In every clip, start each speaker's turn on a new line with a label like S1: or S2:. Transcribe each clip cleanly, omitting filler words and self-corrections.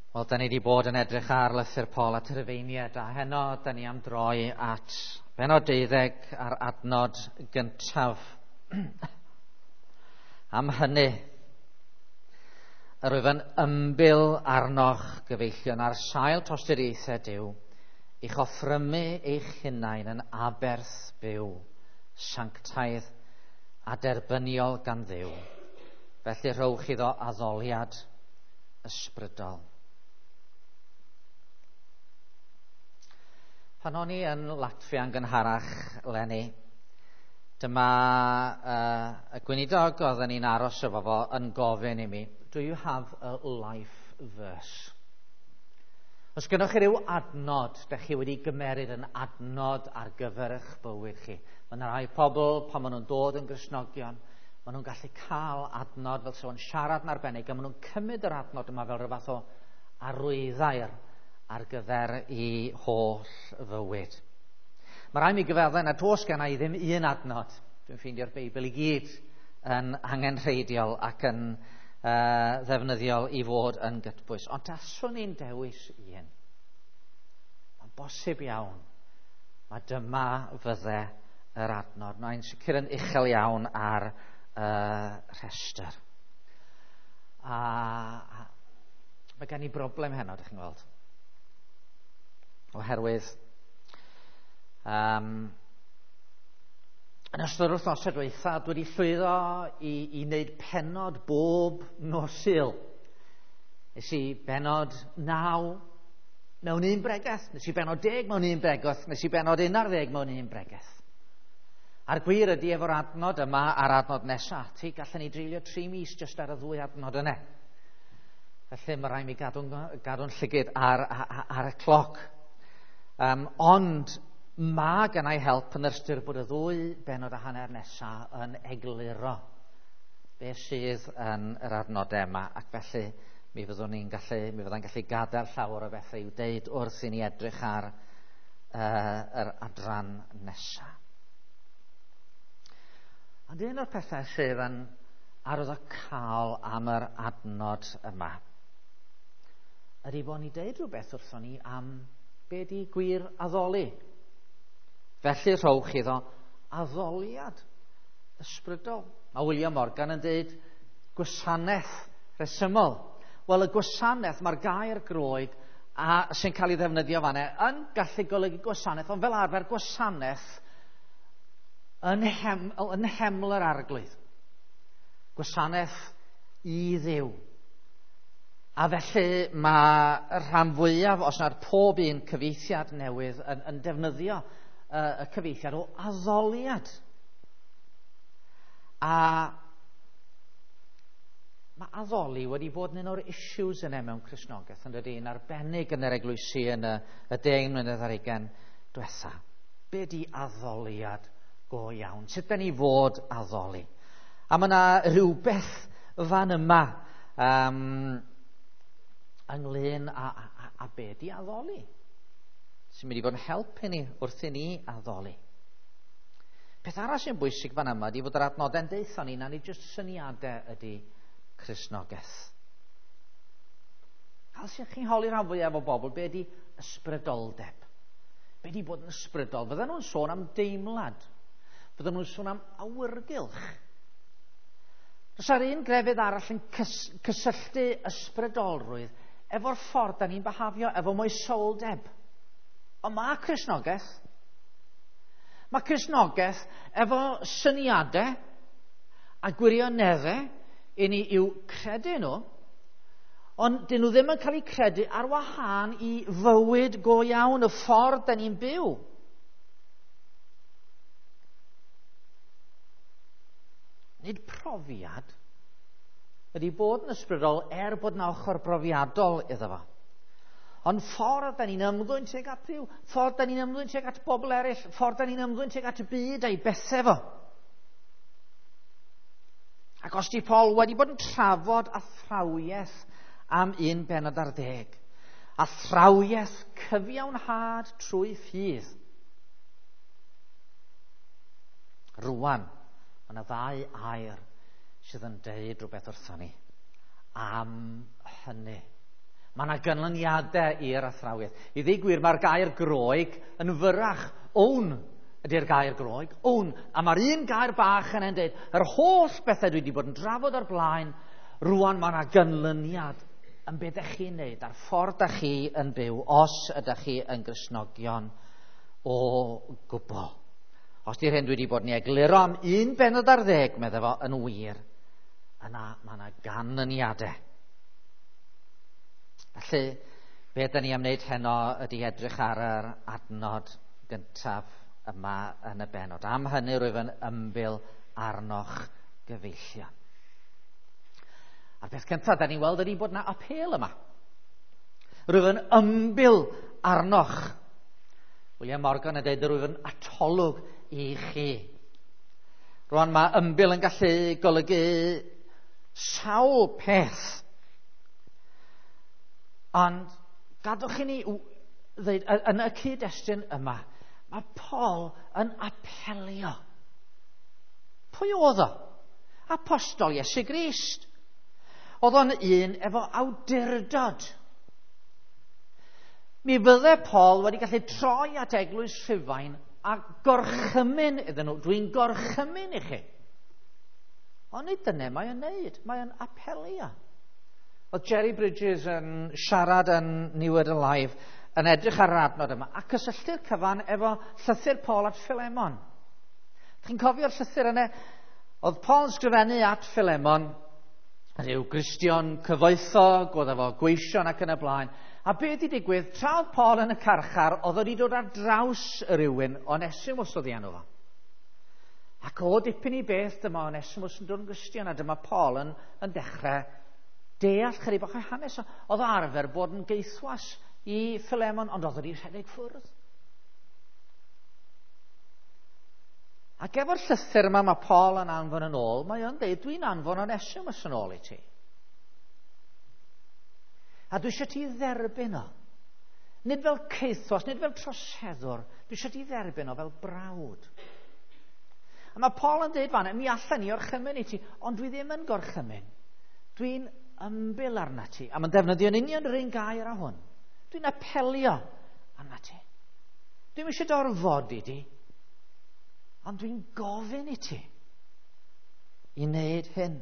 S1: Wel, da ni wedi bod yn edrych ar lythyr Paul at y Rufeiniaid, a heno da ni am droi at bennod 12 a'r adnod gyntaf. Am hynny, yr wyf yn ymbil arnoch, gyfeillion, ar sail tosturiaethau Duw, i'ch offrymu eich hunain yn aberth byw, sanctaidd a derbyniol gan Dduw. Felly rhowch iddo addoliad ysbrydol. Pan o'n i yn Latfia yn gynharach eleni, dyma y gweinidog oedden ni'n aros efo fo yn gofyn i mi, "Do you have a life verse?" Os gynnwch chi ryw adnod, da chi wedi gymeryd yn adnod ar gyfer eich bywyd chi. Mae yna rai pobl, pan maen nhw'n dod yn Gristnogion, maen nhw'n gallu cael adnod fel sef o'n siarad yn arbennig, a maen nhw'n cymryd yr adnod yma fel rhyw fath o arwyddair ar gyfer i holl fywyd. Mae rhaid mi gyfaddau nad oes gen i ddim un adnod. Dwi'n ffeindio'r Beibl i gyd yn angenrheidiol ac yn ddefnyddiol i fod yn gytbwys. Ond taswn i'n dewis un. Mae'n bosib iawn. Mae dyma fydde yr adnod. Mae'n sicr yn uchel iawn ar y rhestr. A mae gen i broblem heno, ydych chi'n gweld. Oherwydd yn ystod yr wythnosau dwytha, dwi wedi llwyddo i wneud pennod bob nos Sul. Nes i bennod 9 mewn un bregeth, nes i bennod 10 mewn un bregeth, nes i bennod 11 mewn un bregeth. A'r gwir ydy efo'r adnod yma a'r adnod nesaf ati, gallen ni dreulio 3 mis jyst ar y ddwy adnod yna. Felly mae rhaid mi gadw'n llygyd ar y cloc. Ond mae gennai help yn ystyr bod y ddwy bennod a hanner nesaf yn egluro beth sydd yn yr adnodau yma, ac felly mi fyddwn ni'n gallu, mi fyddai'n gallu gadael llawer o bethau i'w deud wrth i ni edrych ar yr adran nesaf. Ond un o'r pethau sydd yn arwyddocaol am yr adnod yma ydy bod ni'n deud rhywbeth wrthon ni am be di gwir addoli. Felly rhowch iddo addoliad ysbrydol. Mae William Morgan yn deud gwasanaeth rhesymol. Wel, y gwasanaeth, mae'r gair Groeg a sy'n cael ei ddefnyddio fan'na yn gallu golygu gwasanaeth, ond fel arfer gwasanaeth yn nheml yr Arglwydd. Gwasanaeth i Dduw. A felly mae rhan fwyaf, os nad pob un cyfieithiad newydd yn defnyddio y cyfieithiad o addoliad. A mae addoli wedi bod yn un o'r issues yna mewn Cristnogaeth, yn dydy, yn arbennig yn yr eglwysi yn y 10 mlynedd ar 20 diwetha. Be di addoliad go iawn? Sut da ni fod addoli? A mae yna rhywbeth fan yma ynglyn â be di addoli, sy'n mynd i fod yn help i ni wrth i ni addoli. Peth arall sy'n bwysig fan yma ydy fod yr adnodau'n deutha ni na nid jyst syniadau ydy Cristnogaeth. Os ydych chi'n holi rhan fwyaf o bobl, be ydy ysbrydoldeb? Be ydy bod yn ysbrydol? Fydden nhw'n sôn am deimlad. Fydden nhw'n sôn am awyrgylch. Does ar un grefydd arall yn cysylltu ysbrydolrwydd efo'r ffordd da ni'n behafio, efo moesoldeb. Ond mae Cristnogaeth. Mae Cristnogaeth efo syniadau a gwirioneddau i ni i'w credu nhw, ond dyn nhw ddim yn cael eu credu ar wahân i fywyd go iawn, y ffordd da ni'n byw. Nid profiad ydy bod yn ysbrydol er bod yna ochr brofiadol iddo fo. Ond ffordd da ni'n ymddwyn tuag at Dduw, ffordd da ni'n ymddwyn tuag at bobl eraill, ffordd da ni'n ymddwyn tuag at y byd a'i bethau fo. Ac os di Paul wedi bod yn trafod athrawiaeth am 1 bennod ar 10, athrawiaeth cyfiawnhad trwy ffydd. Rwan, mae yna ddau air sydd yn deud rhywbeth wrthon ni am hynny. Mae yna ganlyniadau i'r athrawiaeth. I ddweud gwir, mae'r gair Groeg yn fyrrach. Own ydy'r gair Groeg. Own. A mae'r un gair bach yn dweud, yr holl bethau dwi wedi bod yn drafod o'r blaen, rwan mae yna ganlyniad yn beth ydych chi'n neud, a'r ffordd ydych chi yn byw, os ydych chi yn Gristnogion o gwbl. Os di'r hyn dwi wedi bod yn ei egluro am un bennod ar ddeg, medde fo, yn wir, yna mae yna ganlyniadau. Felly, be ydyn ni am wneud heno ydy edrych ar yr adnod gyntaf yma yn y bennod. Am hynny rwyf yn ymbil arnoch gyfeillion. A'r peth cyntaf da ni'n weld ydy bod yna apêl yma. Rwyf yn ymbil arnoch. William Morgan yn dweud rwyf yn atolwg i chi. Rwan mae ymbil yn gallu golygu sawl peth. Ond gadwch i ni ddweud, yn y cyd-destun yma, mae Paul yn apelio. Pwy oedd o? Apostol Iesu Grist. Oedd o'n un efo awdurdod. Mi fydde Paul wedi gallu troi at eglwys Rhufain a gorchymyn iddyn nhw. Dwi'n gorchymyn i chi. Ond nid dyna mae o'n neud. Mae o'n apelio. Oedd Jerry Bridges yn siarad yn New Word Alive yn edrych ar yr adnod yma a cysylltu'r cyfan efo llythyr Paul at Philemon. Chi'n cofio'r llythyr yna? Oedd Paul yn sgrifennu at Philemon, rhyw Gristion cyfoethog, oedd efo gweision ac yn y blaen. A be wedi digwydd, tra oedd Paul yn y carchar, oedd wedi dod ar draws rhywun, Onesimus oedd ei enw fo. Ac o dipyn i beth, dyma Onesimus yn dod yn Gristion, a dyma Paul yn dechrau deall chydig bach o hanes. Oedd o arfer bod yn geithwas i Philemon, ond oedd wedi rhedeg ffwrdd. Ac efo'r llythyr yma mae Paul yn anfon yn ôl, mae o'n dweud, dwi'n anfon Onesimus yn ôl i ti. A dwi eisiau ti dderbyn o. Nid fel caethwas, nid fel troseddwr, dwi eisiau ti dderbyn o fel brawd. A mae Paul yn dweud fan, mi allan ni orchymyn i ti, ond dwi ddim yn gorchymyn. Dwi'n ymbil arna ti. A mae'n defnyddio'n union yr un gair â hwn. Dwi'n apelio arna ti. Dwi'm eisiau dy orfodi di, ond dwi'n gofyn i ti i wneud hyn.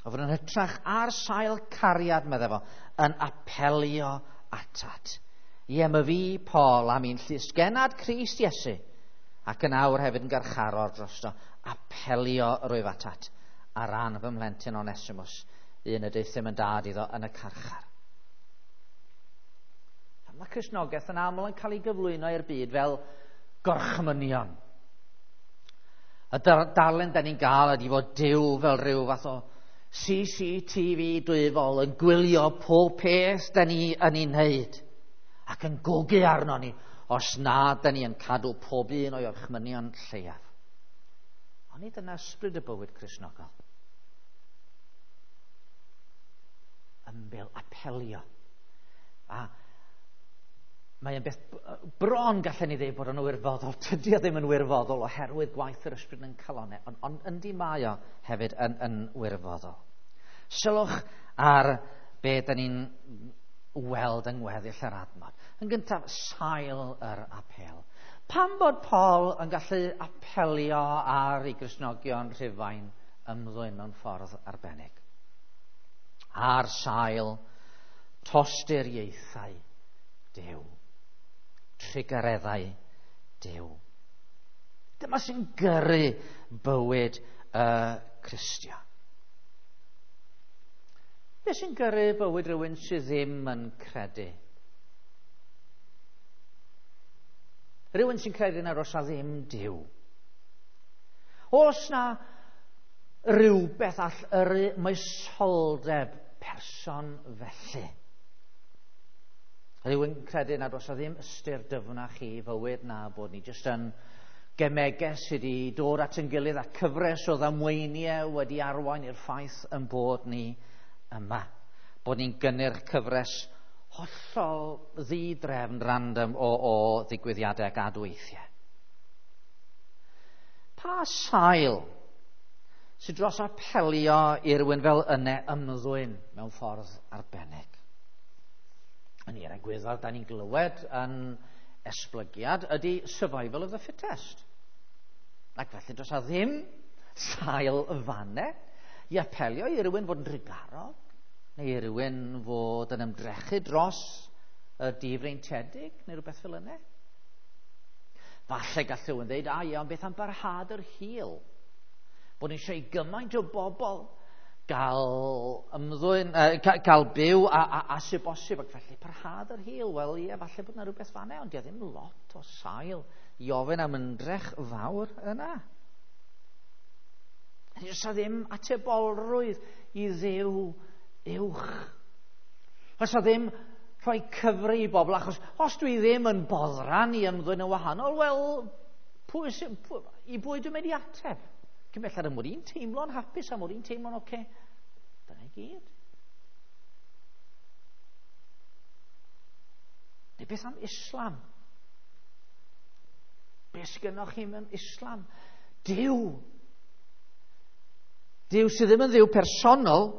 S1: O fod yn hytrach ar sail cariad, medde fo, yn apelio atat. Ie, mae fi, Paul, am un llysgennad Crist Iesu, ac yn awr hefyd yn garcharor drosto, apelio rwyf atat ar ran fy mhlentyn Onesimus, un y deuthum yn dad iddo yn y carchar. Mae Cristnogaeth yn aml yn cael ei gyflwyno i'r byd fel gorchmynion. Y darlun da ni'n gael ydy fod Duw fel rhyw fath o CCTV dwyfol yn gwylio pob peth da ni yn ei wneud ac yn gogu arno ni os na da ni yn cadw pob un o'i orchmynion lleiaf. Ond nid dyna ysbryd y bywyd Cristnogol. Ymbil, apelio. A mae yn beth bron gallen ni ddeud bod o'n wirfoddol. Tydi o ddim yn wirfoddol oherwydd gwaith yr ysbryd yn calonau, ond yndi mae o hefyd yn wirfoddol. Sylwch ar be da ni'n weld yng ngweddill yr adnod. Yn gyntaf, sail yr apêl. Pam bod Paul yn gallu apelio ar ei Gristnogion Rhufain ymddwyn mewn ffordd arbennig? Ar sail tosturiaethau Duw. Trugareddau Duw. Dyma sy'n gyrru bywyd y Cristion. Be sy'n gyrru bywyd rhywun sydd ddim yn credu? Rhywun sy'n credu na oes 'na ddim Duw. Oes na rhywbeth all yrru moesoldeb person felly? Rhywun credu nad oes 'na ddim ystyr dyfnach i fywyd na bod ni jyst yn gemegau sydd wedi dod at ein gilydd a cyfres o ddamweiniau wedi arwain i'r ffaith yn bod ni yma. Bod ni'n gynnyrch cyfres hollol ddidrefn random o ddigwyddiadau ac adweithiau. Pa sail sydd dros apelio i rywun fel yne ymddwyn mewn ffordd arbennig? Yn i'r egwyddor, da ni'n glywed yn esblygiad ydy survival of the fittest. Ac felly dros a ddim sail fanne i apelio i rywun fod yn drugarog, neu i rywun fod yn ymdrechu dros y difreintiedig, neu rhywbeth fel yna. Falle gall rhywun ddeud, a iawn, beth am barhad yr hil? Bod ni eisiau gymaint o bobl gael ymddwyn, gael byw a sy'n bosib, ac felly parhad yr hil. Wel, ie, falle bod yna rhywbeth fanne, ond di ddim lot o sail i ofyn am ymdrech fawr yna. Does 'na ddim atebolrwydd i Dduw uwch. Does 'na ddim rhoi cyfri i bobl, achos os dwi ddim yn boddran i ymddwyn yn wahanol, wel, i bwy dwi'n mynd i ateb? Cyn belled am mod i'n teimlo'n hapus, am mod i'n teimlo'n oce. Dyna i gyd. Neu beth am Islam? Beth sgynnoch chi mewn Islam? Duw. Duw sydd ddim yn Dduw personol,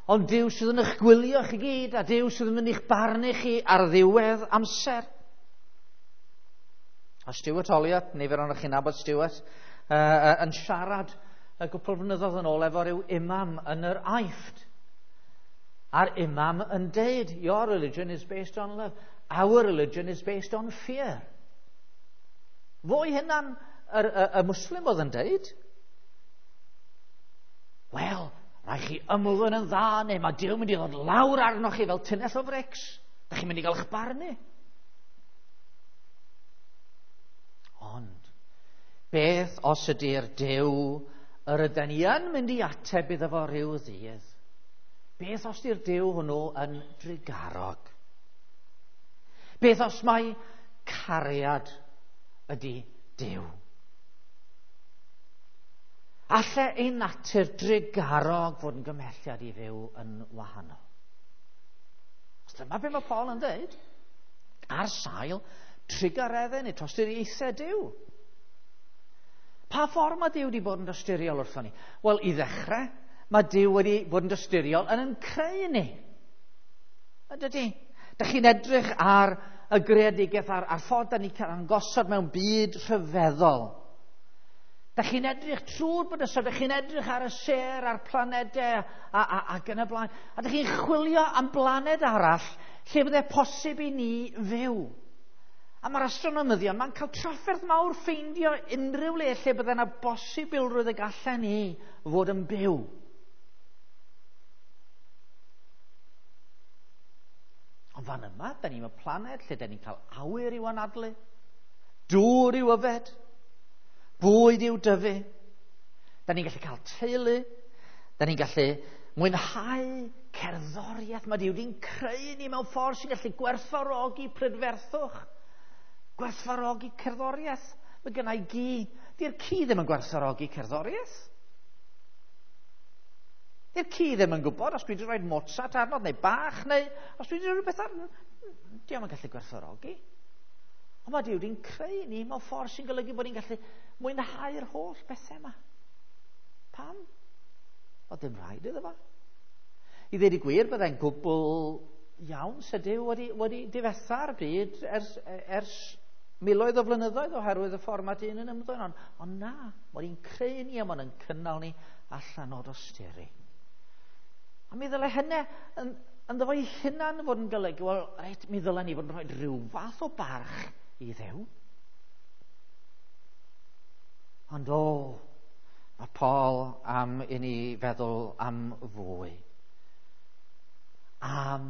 S1: ond Duw sydd yn eich gwylio chi gyd, a Duw sydd yn mynd i'ch barnu chi ar ddiwedd amser. A Stuart Olyott, nifer ohonoch chi'n nabod Stuart, yn siarad y gwpl flynyddoedd yn ôl efo rhyw imam yn yr Aifft. A'r imam yn deud, your religion is based on love, our religion is based on fear. Fo'i hunan y Muslim oedd yn deud, wel, rhaid chi ymddwyn yn dda, neu mae Duw mynd i ddod lawr arnoch chi fel tunnell o frics. Da chi'n mynd i gael eich barnu. Ond, beth os ydy'r Duw yr ydyn ni yn mynd i ateb iddo fo rhyw ddydd? Beth os ydy'r Duw hwnnw yn drugarog? Beth os mai cariad ydy Duw? Alle ein natur drugarog fod yn gymhelliad i fyw yn wahanol? Os dyma be mae Paul yn dweud, ar sail trugareddau neu tosturiaethau Duw. Pa ffordd mae Duw wedi bod yn dosturiol wrthon ni? Wel, i ddechrau, mae Duw wedi bod yn dosturiol yn creu ni. Ydy? Dych chi'n edrych ar y greadigaeth, a'r ffordd da ni'n cael ein gosod mewn byd rhyfeddol. Dych chi'n edrych trwy'r bydysawd, dych chi'n edrych ar y sêr, a'r planedau ac yn y blaen. A dych chi'n chwilio am blaned arall lle fydde posib i ni fyw. A mae'r astronomyddion, mae'n cael trafferth mawr ffeindio unrhyw le lle bydde yna bosibilrwydd y gallen ni fod yn byw. Ond fan yma, da ni mewn planed lle da ni'n cael awyr i'w anadlu, dŵr i'w yfed, bwyd i'w dyfu. Da ni'n gallu cael teulu, da ni'n gallu mwynhau cerddoriaeth. Mae Duw wedi'n creu ni mewn ffordd sy'n gallu gwerthfawrogi prydferthwch, gwerthfawrogi cerddoriaeth. Mae gynna i gi. Di'r ci ddim yn gwerthfawrogi cerddoriaeth. Di'r ci ddim yn gwybod os dwi wedi rhoi Mozart arno, neu Bach, neu os dwi wedi rhoi rhywbeth arno. Dio'm yn gallu gwerthfawrogi. Ond mae Duw wedi'n creu ni mewn ffordd sy'n golygu bod ni'n gallu mwynhau'r holl bethau yma. Pam? O, dim rhaid iddo fo. I ddweud y gwir, byddai'n gwbl iawn se Duw wedi difetha'r byd ers miloedd o flynyddoedd oherwydd y ffordd mae dyn yn ymddwyn. Ond na, mae hi'n creu ni a mae'n cynnal ni allan o dosturi. A mi ddyle hynny ynddo fo'i hunan fod yn golygu, wel, reit, mi ddyle ni fod yn rhoi rhyw fath o barch i Dduw. Ond o, mae Paul am i ni feddwl am fwy. Am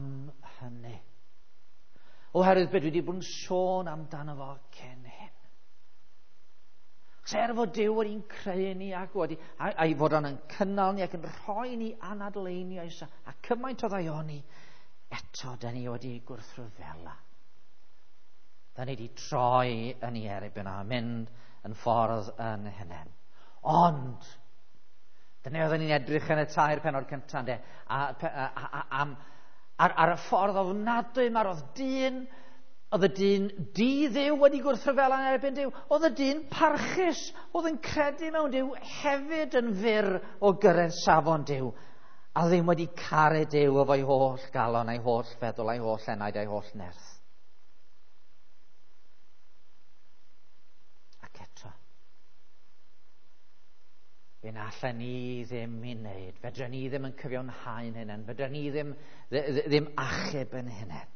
S1: hynny. Oherwydd beth dwi wedi bod yn sôn amdano fo cyn hyn. Er fod Duw wedi'n creu ni ac wedi, a'i fod o'n cynnal ni ac yn rhoi ni anadleiniau a cymaint o ddaioni, eto da ni wedi gwrthryfela. Da ni wedi troi yn ei erbyn a mynd yn ffordd yn hunain. Ond, dyna oedden ni'n edrych yn y 3 pennod cyntaf, ynde, ar y ffordd ofnadwy mae'r oedd dyn Oedd y dyn di-dduw wedi gwrthryfela yn erbyn Duw. Oedd y dyn parchus, oedd yn credu mewn Duw, hefyd yn fyr o gyrraedd safon Duw, a ddim wedi caru Duw efo'i holl galon, a'i holl feddwl, a'i holl enaid, a'i holl nerth. Ac eto, be na allan ni ddim i wneud, fedra ni ddim yn cyfiawnhau'n hunain, fedra ni ddim achub yn hunain.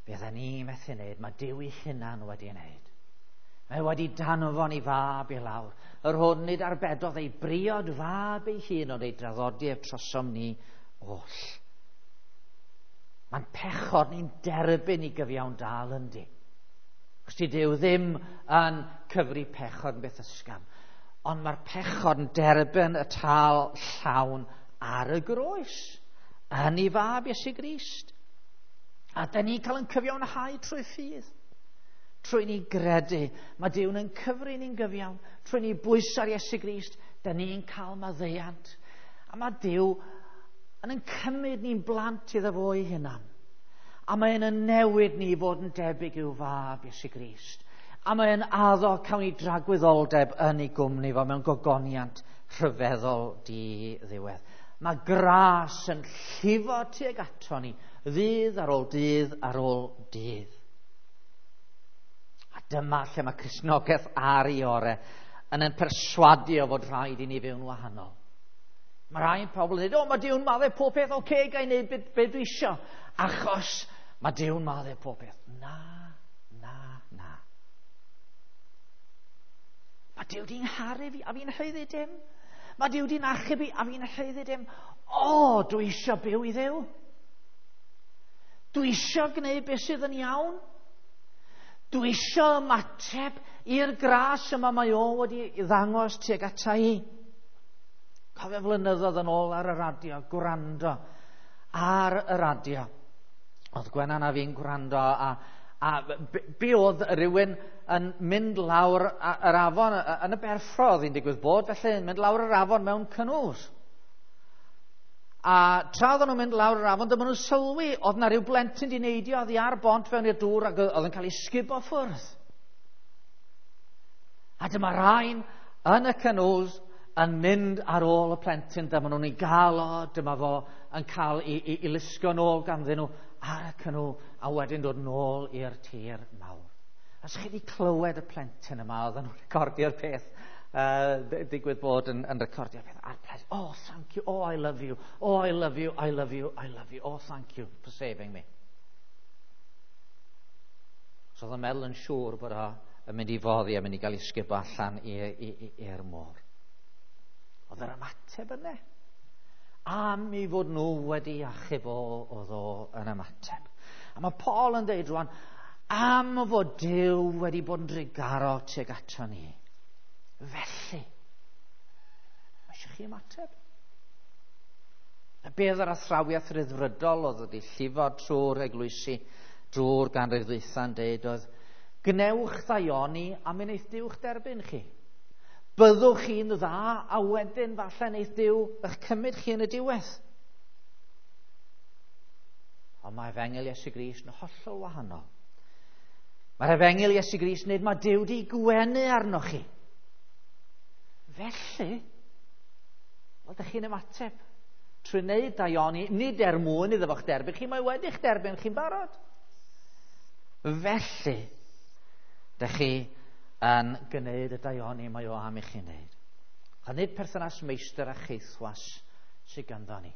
S1: Be oedden ni methu wneud, mae Duw ei hunan wedi wneud. Mae wedi danfon ei fab i lawr, yr hwn nid arbedodd ei briod fab ei hun, ond ei draddodi ef trosom ni oll. Mae'n pechod ni'n derbyn i gyfiawn dal yndi. Chos di Duw ddim yn cyfri pechod yn beth ysgafn, ond mae'r pechod yn derbyn y tâl llawn ar y groes, yn ei fab Iesu Grist. A da ni'n cael yn cyfiawnhau trwy ffydd. Trwy ni gredu. Mae Duw'n yn cyfri ni'n gyfiawn. Trwy ni bwyso ar Iesu Grist, da ni'n cael maddeuant. A mae Duw yn cymryd ni'n blant iddo fo ei hunan. A mae'n yn newid ni i fod yn debyg i'w fab Iesu Grist. A mae'n addo cawn ni dragwyddoldeb yn ei gwmni fo mewn gogoniant rhyfeddol di-ddiwedd. Mae gras yn llifo tuag ato ni, ddydd ar ôl dydd ar ôl dydd. A dyma lle mae Cristnogaeth ar ei ore yn ein perswadio fod rhaid i ni fyw'n wahanol. Mae rhai pobl yn dweud, o, mae Duw'n maddau pob peth, oce, okay, ga i wneud be dwi isio, achos mae Duw'n maddau pob peth. Na, na, na. Mae Duw di'n ngharu fi a fi'n haeddu dim. Mae Duw di'n achub fi a fi'n haeddu dim. O, dwi isio byw i Dduw. Dwi isio gwneud beth sydd yn iawn. Dwi isio ymateb i'r gras yma mae o wedi ddangos tuag ata i. Cofio flynyddoedd yn ôl ar y radio, gwrando ar y radio. Oedd Gwenan a fi'n gwrando a be oedd rhywun yn mynd lawr yr afon yn y Berffro, oedd hi'n digwydd bod, felly yn mynd lawr yr afon mewn canoes. A tra oedden nhw'n mynd lawr yr afon, dyma nhw'n sylwi, oedd na rhyw blentyn di neidio oddi ar bont fewn i'r dŵr ac oedd yn cael ei sgubo ffwrdd. A dyma rhain yn y canoes yn mynd ar ôl y plentyn, dyma nhw'n ei gael o, dyma fo yn cael ei lusgo nôl ganddyn nhw ar y canŵ, a wedyn dod nôl i'r tir mawr. Os chi wedi clywed y plentyn yma, oedden nhw'n recordio'r peth, digwydd bod yn recordio'r peth, a'r plentyn, oh, thank you, oh, I love you, oh, I love you, I love you, I love you, oh, thank you for saving me. So oedd yn meddwl yn siŵr bod o yn mynd i foddi a mynd i gael ei sgubo allan i'r môr. Oedd yr ymateb yna. Am i fod nhw wedi achub o, oedd o yn ymateb. A mae Paul yn dweud rwan, am fod Duw wedi bod yn drugarog tuag ato ni. Felly, mae eisiau chi ymateb. A be oedd yr athrawiaeth ryddfrydol oedd wedi llifo trwy'r eglwysi, drwy'r ganrif ddwytha'n deud oedd, gwnewch ddaioni a mi wneith Duw'ch derbyn chi. Byddwch chi'n dda a wedyn falle wneith Duw eich cymryd chi yn y diwedd. Ond mae Efengyl Iesu Grist yn hollol wahanol. Mae'r Efengyl Iesu Grist yn dweud mae Duw di gwenu arnoch chi. Felly, wel, dych chi'n ymateb trwy wneud daioni, nid er mwyn iddo fo'ch derbyn chi, mae wedi'ch derbyn chi'n barod. Felly, dych chi yn gwneud y daioni mae o am i chi wneud. A nid perthynas meistr a cheithwas sydd ganddo ni,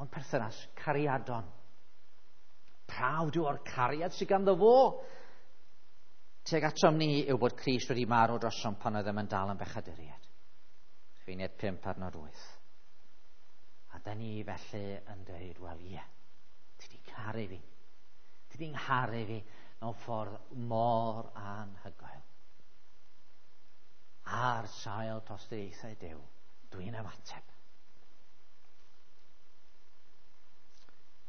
S1: ond perthynas cariadon. Prawd yw o'r cariad sydd ganddo fo. Tuag atom ni yw bod Crist wedi marw drosom pan oeddem yn dal yn bechaduriaid. Rhufeiniaid 5 adnod 8. A da ni felly yn dweud, wel ie, ti di caru fi. Ti di ngharu fi mewn ffordd mor anhygoel. Ar sail tosturiaethau Duw, dwi'n ymateb.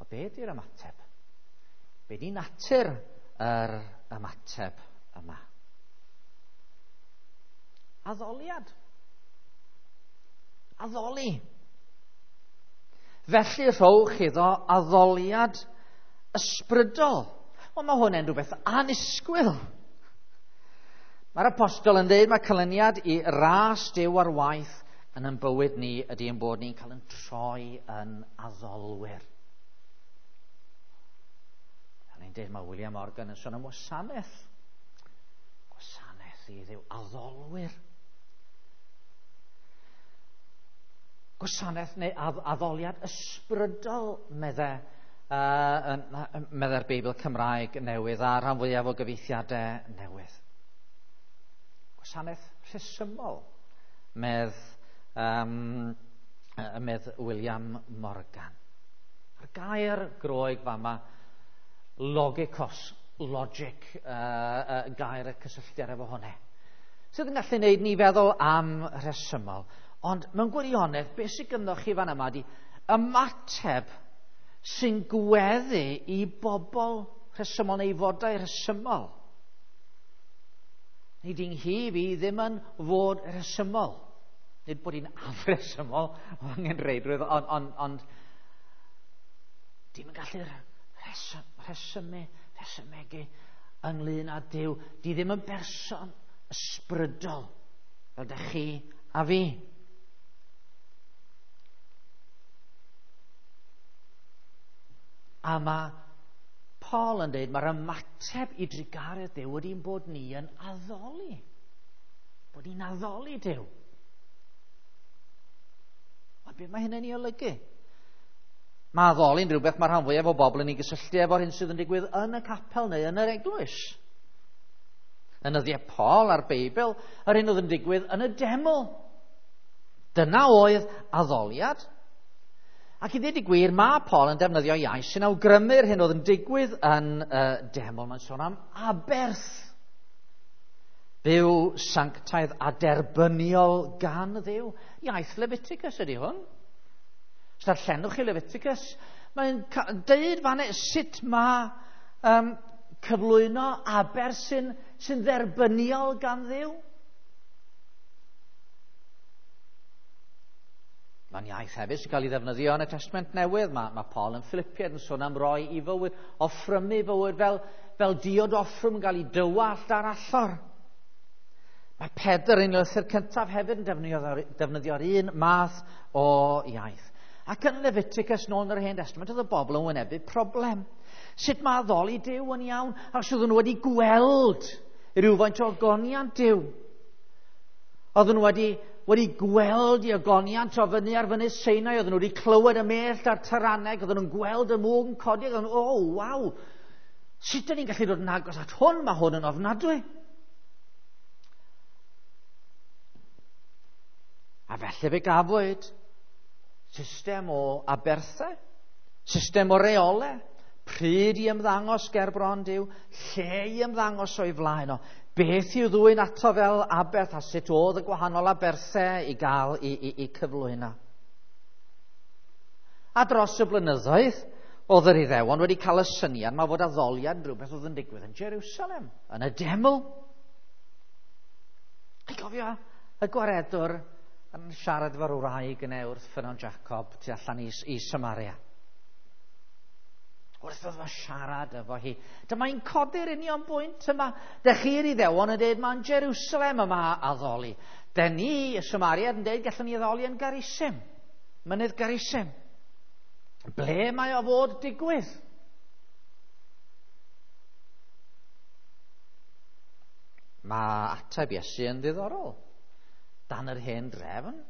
S1: O be ydy'r ymateb? Be di natur yr ymateb yma? Addoliad. Addoli. Felly rhowch iddo addoliad ysbrydol. Wel, mae hwn yn rhywbeth annisgwyl. Mae'r apostol yn dweud mae canlyniad i ras Duw ar waith yn ein bywyd ni ydy ein bod ni'n cael yn troi yn addolwyr. A ni'n dweud mae William Morgan yn sôn am wasanaeth. Gwasanaeth i Dduw, addolwyr. Gwasanaeth neu addoliad ysbrydol, meddai'r Beibl Cymraeg newydd a rhan fwyaf o gyfieithiadau newydd. Gwasanaeth rhesymol, medd William Morgan. A'r gair Groeg fama, logikos, logic, gair y cysylltiad efo hwnna, sydd yn gallu gwneud ni feddwl am rhesymol. Ond mewn gwirionedd, beth sydd gynnoch chi fan yma ydy ymateb sy'n gweddu i bobl rhesymol neu fodau rhesymol. Nid yng nghyf i ddim yn fod rhesymol. Nid bod hi'n afresymol o angenrheidrwydd, ond dim yn gallu rhesymegu ynglyn â Duw. Di ddim yn berson ysbrydol fel dych chi a fi. A mae Paul yn dweud mae'r ymateb i drugaredd Duw ydy'n bod ni yn addoli. Bod ni'n addoli Duw. Ond beth mae hynny'n ei olygu? Mae addoli'n rhywbeth mae rhan fwyaf o bobl yn ei gysylltu efo'r hyn sydd yn digwydd yn y capel neu yn yr eglwys. Yn nyddiau Paul a'r Beibl, yr hyn oedd yn digwydd yn y deml. Dyna oedd addoliad. Ac i ddweud y gwir, mae Paul yn defnyddio iaith sy'n awgrymu'r hyn oedd yn digwydd yn y deml. Mae'n sôn am aberth. Byw sanctaidd a derbyniol gan Dduw. Iaith Leviticus ydy hwn. Os darllenwch chi Leviticus, mae'n deud fan sut mae cyflwyno aberth sy'n dderbyniol gan Dduw. Mae'n iaith hefyd sy'n cael ei ddefnyddio yn y Testament Newydd. Mae Paul yn Philippiaid yn sôn am roi i fywyd, offrymu fywyd fel diod offrwm yn cael ei dywallt ar allor. Mae Pedr yn lythyr cyntaf hefyd yn defnyddio'r un math o iaith. Ac yn Leviticus nôl yn yr Hen Testament oedd y bobl yn wynebu problem. Sut mae addoli Duw yn iawn? Achos oedden nhw wedi gweld rhywfaint o ogoniant Duw. Oedden nhw wedi gweld i ogoniant o fyny ar fynydd Sinai, oedden nhw wedi clywed y mellt a'r taraneg, oedden nhw'n gweld y mwg yn codi, oedden nhw, oh, waw, sut dyn ni'n gallu dod yn agos at hwn? Mae hwn yn ofnadwy. A felly fe gafwyd system o aberthau, system o reolau, pryd i ymddangos ger bron Duw, lle i ymddangos o'i flaen o, beth i'w ddwyn ato fel aberth a sut oedd y gwahanol aberthau i gael i cyflwyno. A dros y blynyddoedd, oedd yr Iddewon wedi cael y syniad mae fod addoliad yn rhywbeth oedd yn digwydd yn Jerusalem, yn y deml. Chi'n cofio y gwaredwr yn siarad efo'r wraig yna wrth ffynnon Jacob tu allan i Samaria. Wrth iddo fo siarad efo hi, dyma hi'n codi'r union bwynt yma. Dych chi'r Iddewon yn dweud mae'n Jerusalem yma addoli. Dyn ni, y Samariad, yn dweud gallwn ni addoli yn Garisim, mynydd Garisim. Ble mae o fod digwydd? Mae ateb Iesu yn ddiddorol. Dan yr hen drefn.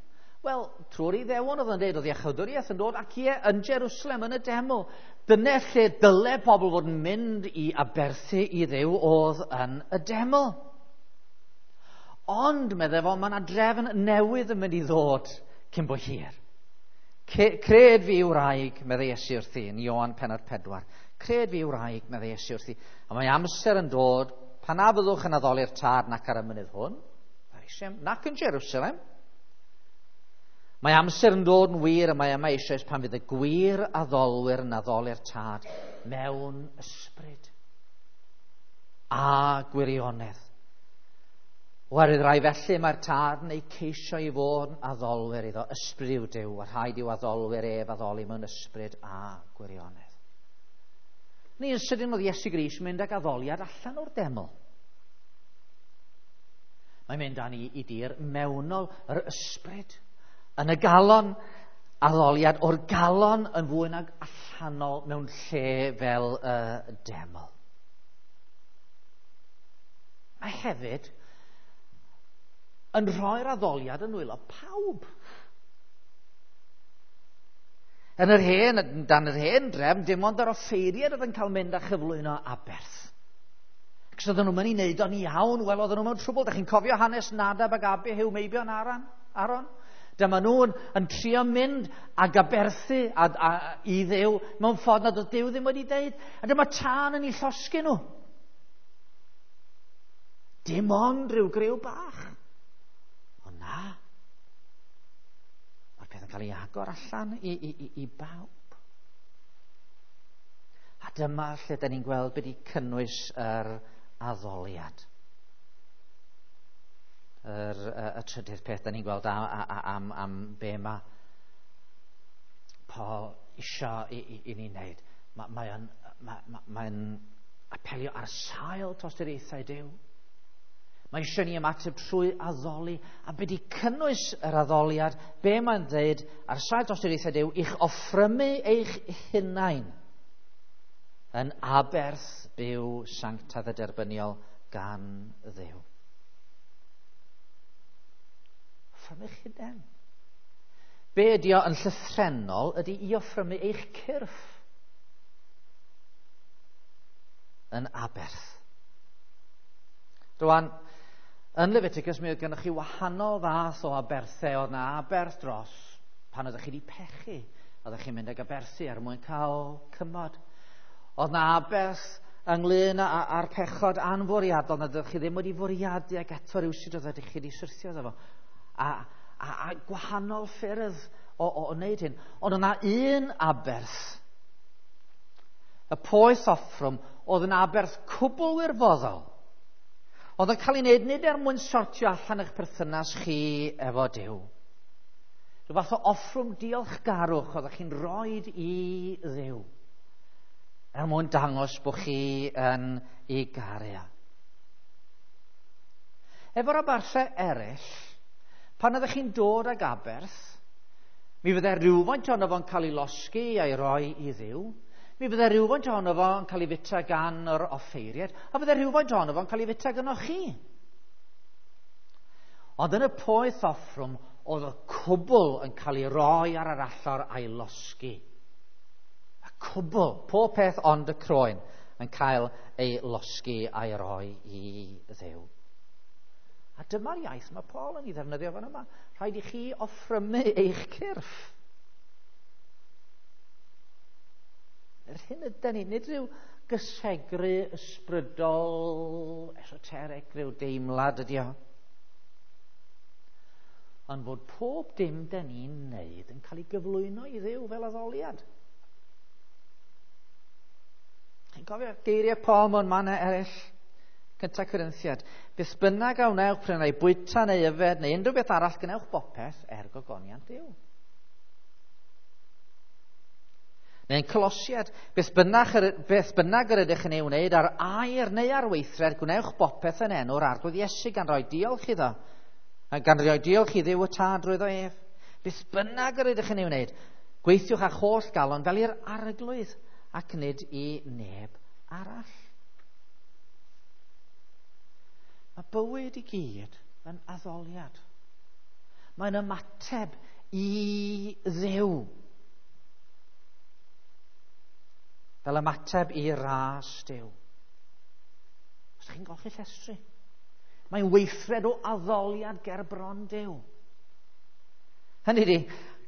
S1: Wel, trwy'r Iddewon oedd yn dweud, oedd iachawdwriaeth yn dod ac ie, yn Jerusalem, yn y deml. Dyna lle dyle pobl fod yn mynd i aberthu i Dduw oedd yn y deml. Ond, meddai fo, mae yna drefn newydd yn mynd i ddod cyn bo hir. Cred fi wraig, meddai Iesu wrthi, yn Ioan pennod 4. Cred fi wraig, meddai Iesu wrthi. A mae amser yn dod pan na fyddwch yn addoli'r Tad nac ar y mynydd hwn, nac yn Jerusalem. Mae amser yn dod yn wir a mae yma eisoes pan fydd y gwir addolwyr yn addoli'r Tad mewn ysbryd a gwirionedd. Oherwydd rai felly mae'r Tad yn eu ceisio i fod yn addolwyr iddo, ysbryd yw Duw, a rhaid i'w addolwyr ef addoli mewn ysbryd a gwirionedd. Neu yn sydyn oedd Iesu Grist mynd ag addoliad allan o'r deml. Mae'n mynd â ni i dir mewnol yr ysbryd. Yn y galon, addoliad o'r galon yn fwy nag allanol mewn lle fel y deml. Mae hefyd yn rhoi'r addoliad yn nwylo pawb. Yn yr hen, dan yr hen drefn, dim ond yr offeiriad oedd yn cael mynd a chyflwyno aberth. Ac os oedden nhw'n mynd i wneud o'n iawn, wel, oedden nhw mewn trwbl. Da chi'n cofio hanes Nadab ac Abihu, meibion Aaron? Dyma nhw'n yn trio mynd ag aberthu i Dduw mewn ffordd nad oedd Duw ddim wedi deud. A dyma tân yn eu llosgi nhw. Dim ond rhyw griw bach. Ond na. Mae'r peth yn cael ei agor allan i bawb. A dyma lle da ni'n gweld beth i cynnwys yr addoliad. Y trydydd peth da ni'n gweld am be mae Paul isio i ni wneud. Mae'n apelio ar sail tosturiaethau Duw. Mae eisiau ni ymateb trwy addoli, a be di cynnwys yr addoliad, be mae'n dweud ar sail tosturiaethau Duw, i'ch offrymu eich hunain yn aberth byw sanctaidd a derbyniol gan Dduw. Offrymu'ch hunain. Be ydi o yn llythrennol ydi i offrymu eich cyrff yn aberth. Rwan, yn Leviticus mi oedd gennych chi wahanol fath o aberthau. Oedd na aberth dros pan oeddech chi wedi pechu. Oeddech chi'n mynd ag aberthu er mwyn cael cymod. Oedd na aberth ynglyn â'r pechod anfwriadol nad oeddech chi ddim wedi fwriadu ac eto rywsut oeddech chi wedi syrthio iddo fo. A gwahanol ffyrdd o wneud hyn. Ond oedd na un aberth, y poeth offrwm, oedd yn aberth cwbl wirfoddol. Oedd yn cael ei wneud nid er mwyn sortio allan eich perthynas chi efo Duw. Rhyw fath o offrwm diolchgarwch oeddech chi'n rhoid i Dduw, er mwyn dangos bod chi yn ei garu. Efo'r aberthau eraill, pan oeddech chi'n dod ag aberth, mi fyddai rhywfaint ohono fo'n cael ei losgi a'i roi i Dduw, mi fyddai rhywfaint ohono fo'n cael ei fita gan yr offeiriad, a fyddai rhywfaint ohono fo'n cael ei fita gynnoch chi. Ond yn y poeth offrwm, oedd y cwbl yn cael ei roi ar yr allor a'i losgi. Y cwbl, pob peth ond y croen, yn cael ei losgi a'i roi i Dduw. A dyma'r iaith mae Paul yn ei ddefnyddio fan yma. Rhaid i chi offrymu eich cyrff. Yr hyn ydy ni, nid rhyw gysegru ysbrydol, esoteric, rhyw deimlad ydi o. Ond fod pob dim da ni'n wneud yn cael ei gyflwyno i Dduw fel addoliad. Chi'n cofio geiriau Paul mewn mannau eraill? 1 Corinthiad. Beth bynnag a wnewch, pryd neu bwyta neu yfed neu unrhyw beth arall, gwnewch bopeth er gogoniant Duw. Neu'n Colosiad, beth bynnag yr ydych yn ei wneud ar air neu ar weithred, gwnewch bopeth yn enw'r Arglwydd Iesu gan roi diolch iddo. Gan roi diolch i Dduw y Tad drwyddo ef. Beth bynnag yr ydych yn ei wneud, gweithiwch â'ch holl galon fel i'r Arglwydd ac nid i neb arall. Mae bywyd i gyd yn addoliad. Mae'n ymateb i Dduw. Fel ymateb i ras Duw. Os chi'n golchi llestri, mae'n weithred o addoliad ger bron Duw. Hynny ydi,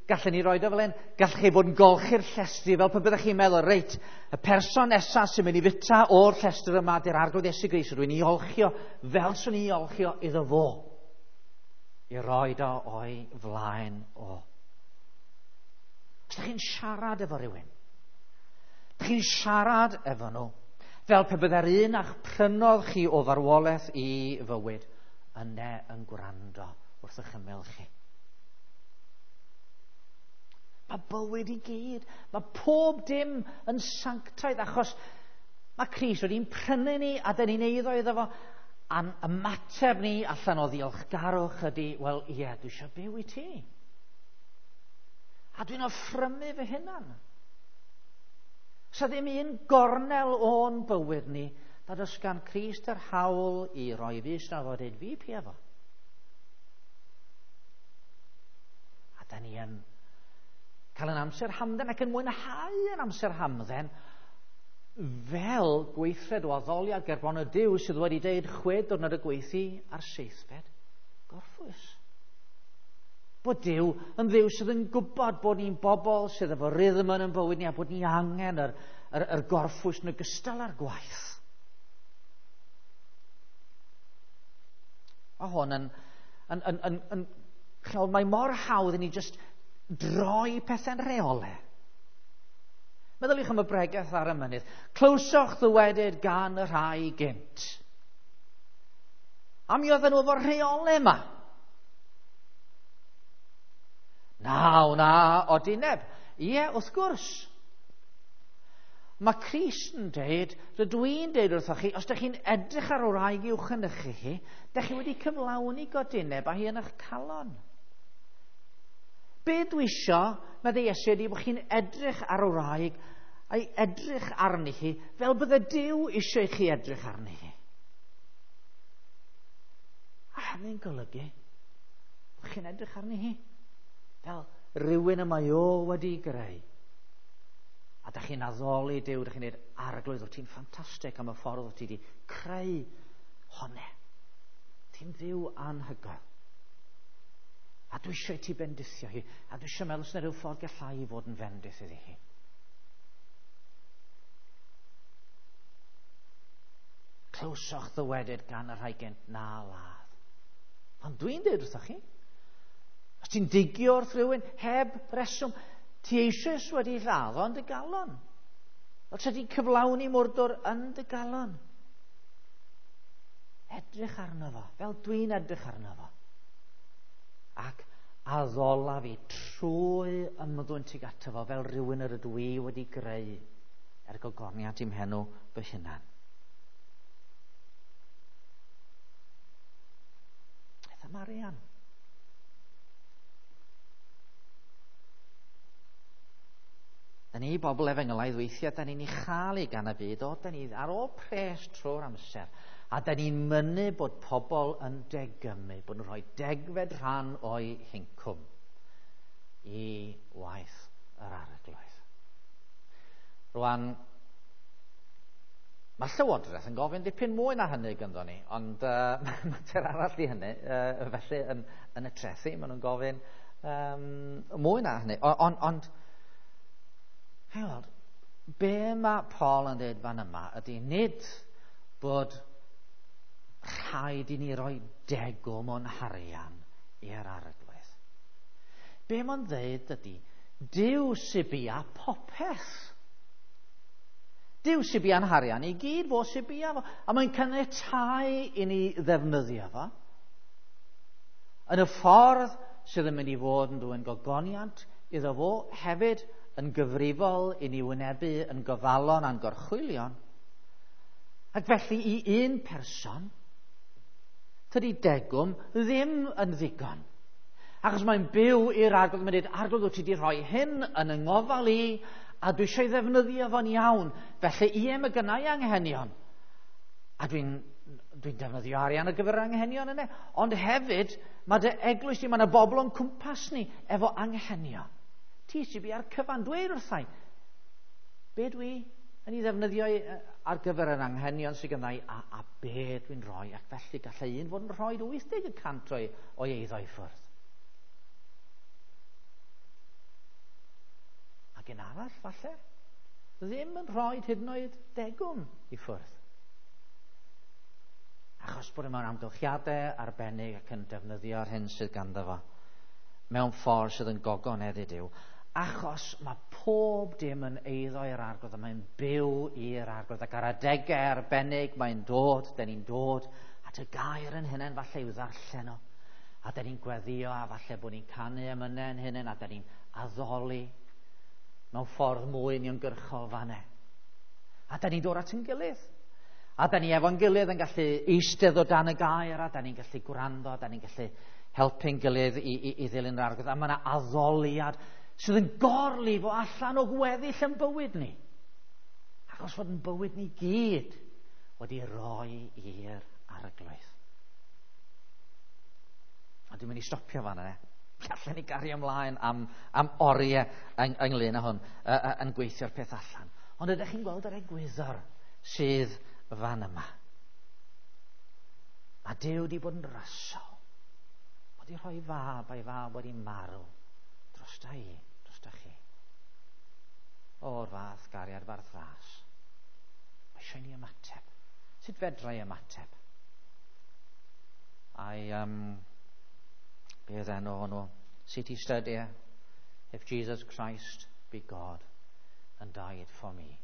S1: gallen ni roed o fel hyn, gallech chi fod yn golchi'r llestri fel pe byddech chi'n meddwl, reit, y person nesaf sy'n mynd i fita o'r llestr yma di'r Arglwydd Iesu Grist, rwy'n ei olchio fel swn i'n olchio iddo fo, i roed o o'i flaen o. Os ydych chi'n siarad efo rhywun, ydych chi'n siarad efo nhw, fel pe byddai'r un a'ch prynodd chi o farwolaeth i fywyd, yna yn gwrando wrth eich ymyl chi. Mae bywyd i gyd, mae pob dim yn sanctaidd, achos Mae Crist wedi'n prynu ni a dyn ni'n eiddo iddo fo. A'n ymateb ni allan o ddiolchgarwch ydy, wel ie, dwi eisiau byw i ti. A dwi'n offrymu fy hunan. Sa ddim un gornel o'n bywyd ni nad oes gan Crist yr hawl i roi fus na fod dweud fi pia fo. A da ni yn cael yn amser hamdden ac yn mwynhau yn amser hamdden fel gweithred o addoliad gerbron y Duw sydd wedi deud 6 diwrnod y gweithio a'r seithfed gorffwys. Bod Duw yn Dduw sydd yn gwybod bod ni'n bobl sydd efo rhythm yn ein bywyd ni a bod ni angen yr gorffwys yn ogystal â'r gwaith. Mae hwn yn mae mor hawdd i ni just droi pethau'n rheolau. Meddyliwch am y bregeth ar y mynydd. Clywsoch ddywedyd gan y rhai gynt. A mi oedden nhw efo'r rheolau yma. Na, na, odineb. Ie, wrth gwrs. Mae Crist yn deud, rydw i'n deud wrthoch chi, os ydych chi'n edrych ar wraig i'w chynnychu chi, ydych chi wedi cyflawni godineb a hi yn eich calon. Be dwi isio, meddai Iesu, ydy bod chi'n edrych ar wraig a'i edrych arni hi fel bydde Duw eisiau i chi edrych arni hi. A hynny'n golygu bod chi'n edrych arni hi fel rhywun y mae o wedi greu. A da chi'n addoli Duw, da chi'n dweud, Arglwydd, wyt ti'n ffantastig am y ffordd wyt ti wedi creu honne. Ti'n Dduw anhygoel. A dwi eisiau ti bendithio hi, a dwi eisiau meddwl os yna rhyw ffordd gallai i fod yn fendith iddi hi. Clywsoch ddywedyd gan y rhai gynt na ladd. Ond dwi'n dweud wrthoch chi, os ti'n digio wrth rhywun heb reswm, ti eisoes wedi lladd o yn dy galon. Fel ti wedi cyflawni mwrdwr yn dy galon. Edrych arno fo, fel dwi'n edrych arno fo. Ac addola fi trwy ymddwyn tuag ato fo fel rhywun yr ydw i wedi greu er gogoniant i'm henw fy hunan. Beth am arian? Da ni bobl efengylaidd weithiau, da ni'n ei chael ei gan y byd, o, da ni ar ôl pres trwy'r amser. A da ni'n mynnu bod pobl yn degymu, bod nhw'n rhoi degfed rhan o'i hincwm i waith yr Arglwydd. Rwan, mae Llywodraeth yn gofyn dipyn mwy na hynny ganddo ni, ond mater arall i hynny, felly yn y trethi, maen nhw'n gofyn mwy na hynny. Ond, hei weld, be mae Paul yn dweud fan yma ydy nid bod rhaid i ni roi degwm o'n harian i'r Arglwydd. Be mae'n dweud ydy, Duw sy bia popeth. Duw sy bia'n harian i gyd, fo sy bia fo. A mae'n caniatáu i ni ddefnyddio fo yn y ffordd sydd yn mynd i fod yn dwyn gogoniant iddo fo, hefyd yn gyfrifol i ni wynebu yn gofalon a'n gorchwylion. Ac felly i un person, tydi degwm ddim yn ddigon. Achos mae'n byw i'r Arglwydd, mae'n dweud, Arglwydd, wyt ti wedi rhoi hyn yn yng ngofal i, a dwi eisiau ddefnyddio fo'n iawn. Felly, ie, mae gynna i anghenion. A dwi'n defnyddio arian ar gyfer yr anghenion yna. Ond hefyd, mae dy eglwys di, mae yna bobl o'n cwmpas ni efo anghenion. Ti sy'n bu ar cyfan, dweud wrthai, be dwi yn ei ddefnyddio ar gyfer yr anghenion sydd gynna i, a be dwi'n rhoi, ac felly gallai un fod yn rhoi 80% o'i eiddo i ffwrdd. Ac un arall, falle, ddim yn rhoi hyd yn oed degwm i ffwrdd. Achos bod e mewn amgylchiadau arbennig ac yn defnyddio'r hyn sydd ganddo fo mewn ffordd sydd yn gogoneddu Duw. Achos mae pob dim yn eiddo i'r Arglwydd a mae'n byw i'r Arglwydd. Ac ar adegau arbennig mae'n dod, den ni'n dod at y gair yn hunain falle i'w ddarllen o. A den ni'n gweddio a falle bod ni'n canu emynau yn hunain a den ni'n addoli mewn ffordd mwy uniongyrchol fanne. A da ni'n dod at yn gilydd. A da ni efo'n gilydd yn gallu eistedd o dan y gair, a da ni'n gallu gwrando, a da ni'n gallu helpu'n gilydd i ddilyn yr Arglwydd. A mae yna addoliad sydd yn gorlifo allan o gweddill yn bywyd ni. Achos fod yn bywyd ni gyd wedi roi i'r Arglwydd. A dwi'n mynd i stopio fan yna. Allen ni gario ymlaen am oriau ynglyn â hwn, yn gweithio'r peth allan. Ond ydych chi'n gweld yr egwyddor sydd fan yma? Mae Duw wedi bod yn rasol. Wedi rhoi fab a'i fab wedi marw drosta i, drosta chi. O'r fath gariad farth ras. Mae eisiau ni ymateb. Sut fedra i ymateb? Ai, be oedd enw hwnnw? City Study. If Jesus Christ be God and died for me,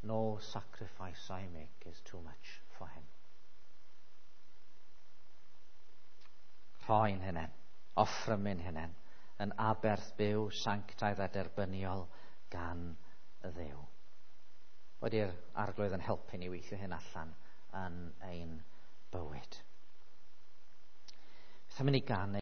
S1: no sacrifice I make is too much for him. Rhoi'n hunain, offrymu'n hunain, yn aberth byw, sanctaidd a derbyniol gan y Dduw. Wedi'r Arglwydd yn helpu ni weithio hyn allan yn ein bywyd. Beth am i ni ganu?